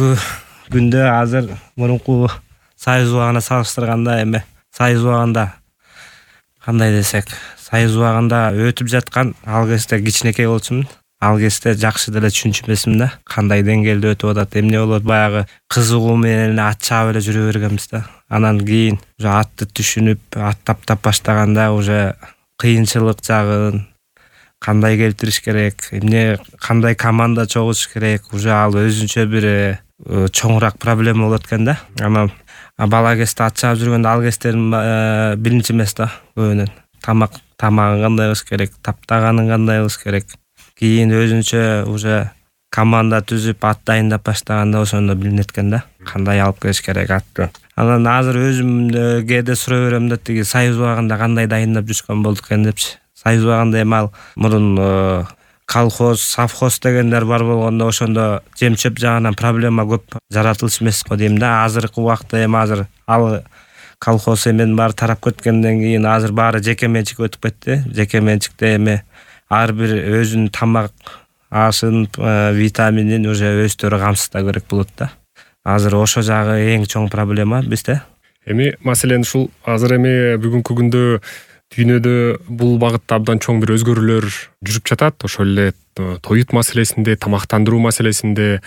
бүгүнкү күндө азыр мурунку Союз убагына салыштырганда эми Союз убагында кандай десек, Союз убагында өтүп жаткан ал кезде кичинекей болчумун. Ал кезде жакшы деле түшүнчү эмесмин да. Кандай деңгээлде өтүп атат, эмне болот, баягы кызыгуу менен ат чаап эле жүрө бергенбиз да. Анан кийин уже атты түшүнүп, ат таптап баштаганда уже кыйынчылык жагын кандай келтириш керек, эмне кандай команда чогултуш керек, уже ал өзүнчө бир чоңураак проблема болот экен да. Анан бала кезде ат чаап жүргөндө ал кездерим биринчи эмес да көбүнөн. Тамагын кандай кылыш керек, таптаганын кандай кылыш керек. Кийин өзүнчө уже команда түзүп ат дайындап баштаганда ошондо билинет экен да, кандай алып келиш керек атты. Анан азыр өзүм кээде сурай берем да, тиги Союз убагында кандай дайындап жүрүшкөн болдук экен депчи. Союз убагында эми ал мурун колхоз, совхоз дегендер бар болгондо ошондо жем-чөп жагынан проблема көп жаратылыш эмес го дейм да. Азыркы убакта эми азыр ал колхоз эмен баары тарап кеткенден кийин азыр баары жеке менчикке өтүп кетти. Жеке менчикте эми ар бир өзүнүн тамак ашын, витаминин уже өздөрү камсыздоо керек болот да. Азыр ошо жагы эң чоң проблема бизде. Эми маселен ушул азыр эми бүгүнкү күндө дүйнөдө бул багытта абдан чоң бир өзгөрүүлөр жүрүп жатат. Ошол эле тоют маселесинде, тамактандыруу маселесинде,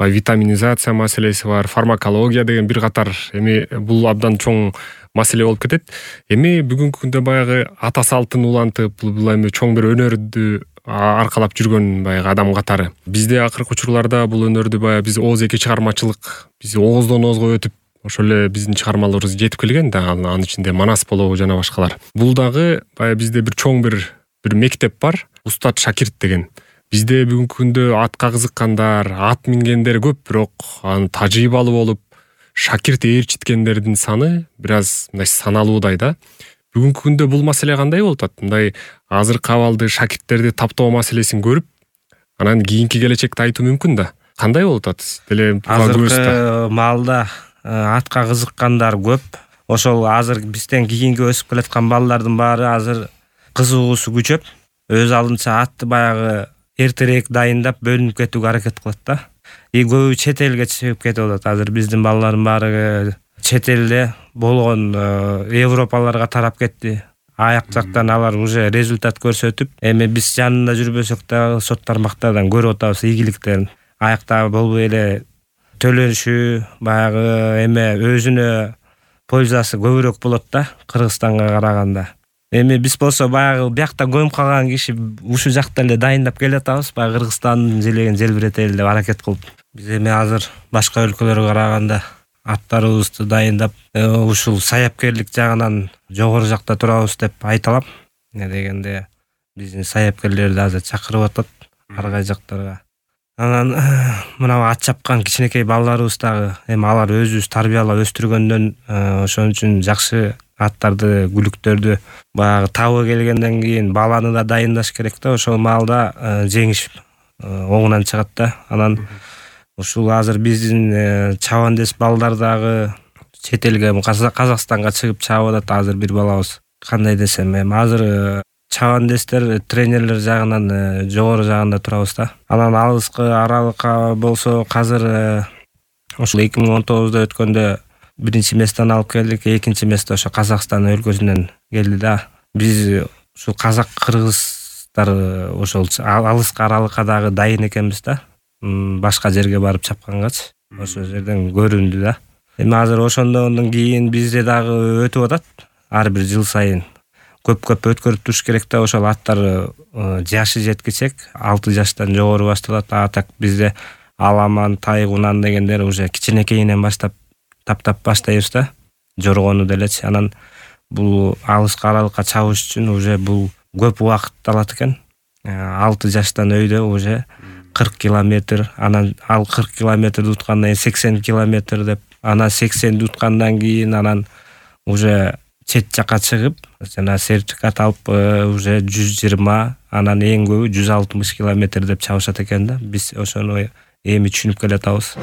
витаминизация маселеси бар, фармакология деген бир катар эми бул абдан чоң маселе болуп кетет. Эми бүгүнкү күндө баягы ата салтын улантып, бул эми чоң бир өнөрдү аркалап жүргөн баягы адам катары. Бизде акыркы учурларда бул өнөрдү баягы биз ооз эки чыгармачылык, биз ооздон оозго өтүп ошол эле биздин чыгармаларыбыз жетип келген да, анын ичинде Манас болобу жана башкалар. Бул дагы баягы бизде бир чоң бир мектеп бар, устат шакирт деген. Бизде бүгүнкү күндө атка кызыккандар, ат мингендер көп, бирок анын тажрыйбалуу болуп шакирт ээрчиткендердин саны бир аз мындай саналуудай да. Бүгүнкү күндө бул маселе кандай болуп атат? Мындай азыркы абалды шакирттерди таптоо маселесин көрүп, анан кийинки келечекти айтуу мүмкүн да. Кандай болуп атат? Деле азыркы маалда атка кызыккандар көп. Ошол азыр бизден кийинки өсүп келаткан балдардын баары азыр кызыгуусу күчөп, өз алдынча атты баягы эртерээк дайындап бөлүнүп кетүүгө аракет кылат да. Көбү чет элге чыгып кетип атат. Азыр биздин балдардын баары чет элде болгон Европаларга тарап кетти. Аяк жактан алар уже результат көрсөтүп, эми биз жанында жүрбөсөк да сот тармактардан көрүп атабыз ийгиликтерин. Аякта болбой эле төлөнүшү, баягы эме өзүнө пользасы көбүрөөк болот да Кыргызстанга караганда. Эми биз болсо баягы биякта көмүп калган киши ушул жакта эле дайындап келатабыз, баягы Кыргызстандын желегин желбиретели деп аракет кылып. Биз эми азыр башка өлкөлөргө караганда аттарыбызды дайындап, ушул саяпкерлик жагынан жогору жакта турабыз деп айта алам. Эмне дегенде биздин саяпкерлерди азыр чакырып атат ар кай жактарга. Анан мына ат чапкан кичинекей балдарыбыз дагы эми алар өзүбүз тарбиялап өстүргөндөн ошон үчүн жакшы аттарды, күлүктөрдү баягы табы келгенден кийин баланы да дайындаш керек да. Ошол маалда жеңиш оңунан чыгат да. Анан ушул азыр биздин чабандес балдар дагы чет элге, Казакстанга чыгып чабып атат азыр бир балабыз. Кандай десем, эми азыр чабандестер, тренерлер жагынан жогору жагында турабыз да. Анан алыскы аралыкка болсо азыр ошол 2019-да өткөндө биринчи месттен алып келдик, экинчи месте ошо Казакстан өлкөсүнөн келди да. Биз ушул казак-кыргыздар ошол алыскы аралыкка дагы дайын экенбиз да. Башка жерге барып чапкангачы ошол жерден көрүндү да. Эми азыр ошондон кийин бизде дагы өтүп атат. Ар бир жыл сайын көп өткөрүп туруш керек да. Ошол аттар жашы жеткичек 6 жаштан жогору башталат. Так бизде аламан, тайгунан дегендер уже кичинекейинен баштап таптап баштайбыз да. Жоргону делечи. Анан бул алыскы аралыкка чабыш үчүн уже бул көп убакыт алат экен. 6 жаштан өйдө уже 40 километр, анан ал 40 километрди уткандан кийин 80 километр деп, анан 80ди уткандан кийин анан уже чет жакка чыгып, жана сертификат алып уже 120, анан эң көбү 160 километр деп чабышат экен да. Биз ошону эми түшүнүп келатабыз.